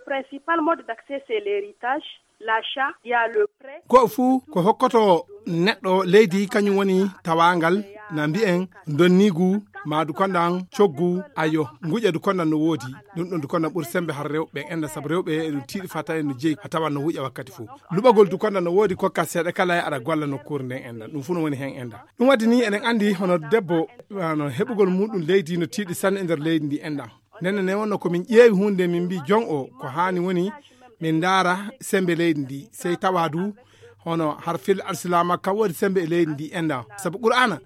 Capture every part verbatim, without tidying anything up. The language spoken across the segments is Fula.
principal mode d'accès, c'est l'héritage, l'achat, il y a le prêt. Ko fuu ko hokkoto neɗɗo leydi, kañum woni tawaangal, na mbiyen donniigu, maa du kondan coggu, ayo, nguƴa du kondan no woodi. Ɗum ɗon du kondan ɓuri sembe har rewɓe en enda, sabu rewɓe eɗum tiiɗi fata en no jeyi, a tawan no wuƴa wakkati fuu. Luɓagol du kondan no woodi, kokka seeɗa kala e aɗa golla nokkuure nden enda. Ɗum fuu no woni hen enda. Ɗum waɗi ni eɗen andi hono debbo, hono heɓugol muɗum leydi no tiiɗi sanne e nder leydi ndi enda. Nden ne wonno ko min ƴeewi huunde, min mbi jon o ko haani woni min ndaara sembe leydi ndi. Sey tawa du hono har fil alsilaama ka woodi sembe e leydi ndi enda. Sabu Qur'aana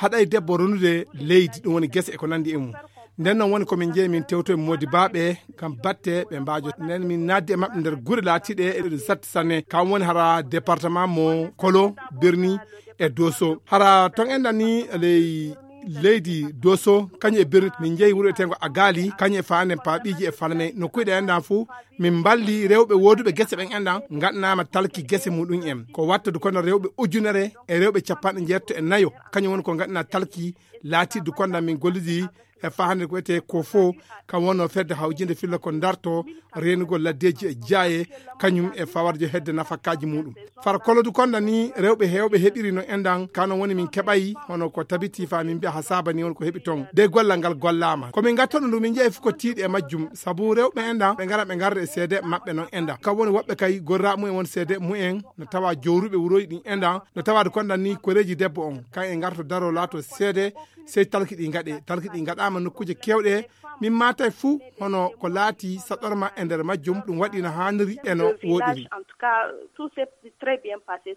haɗay debbo ronude leydi, ɗum woni gese e ko nandi e mum. Nden non woni ko min jeeyi min tewto e moodi baaɓe ngam batte ɓe mbaajo. Nden min naaddi e maɓɓe nder gure laatiiɗe eɗe satti sanne. Kam woni hara département mo Kolo, Birni e Doso. Hara ton endan ni ley leydi Doso, kañum e Birni, min jeeyi wuro etengo Agali, kañum e Faanen Paaɓiiji e Falmey. No kuyɗe endan fuu, min mballi rewɓe wooduɓe gese ɓen endan, ngaɗanaama talki gese muɗum en. Ko watta du kondan rewɓe ujunere e rewɓe capanɗe njeetto e nayo, kañum woni ko ngaɗanaa talki laatiiɗo du kondan min gollidi e faa hannde ko wiyetee ko fo, kam wonno fedde hawjinde filla ko darto reenugol laddeeji e jaaye, kañum e fawarjo hedde nafakaaji muɗum. Far kolo du kondan ni rewɓe heewɓe heɓiri no endan, kano woni min keɓay hono ko tabiti faa min mbiya ha saaba ni woni ko heɓi ton. De gollal ngal gollaama. Ko min ngattono ndu min jeeyi fof ko tiiɗi e majjum, sabu rewɓe endan ɓe ngara ɓe ngarda e seede maɓɓe non endan. Kam woni woɓɓe kay gorra mumen won seede mumen, no tawa jowruɓe wuroji ɗin endan, no tawa du kondan ni koreeji debbo on, kan e ngarto daro laato seede, sey talki ɗi ngaɗe. Talki ɗi ngaɗaama nokkuuje keewɗe, min maatay fuu hono ko laati saɗorma e nder majjum, ɗum waɗi no haaniri e no woɗiri. En tout cas, tout s'est très bien passé.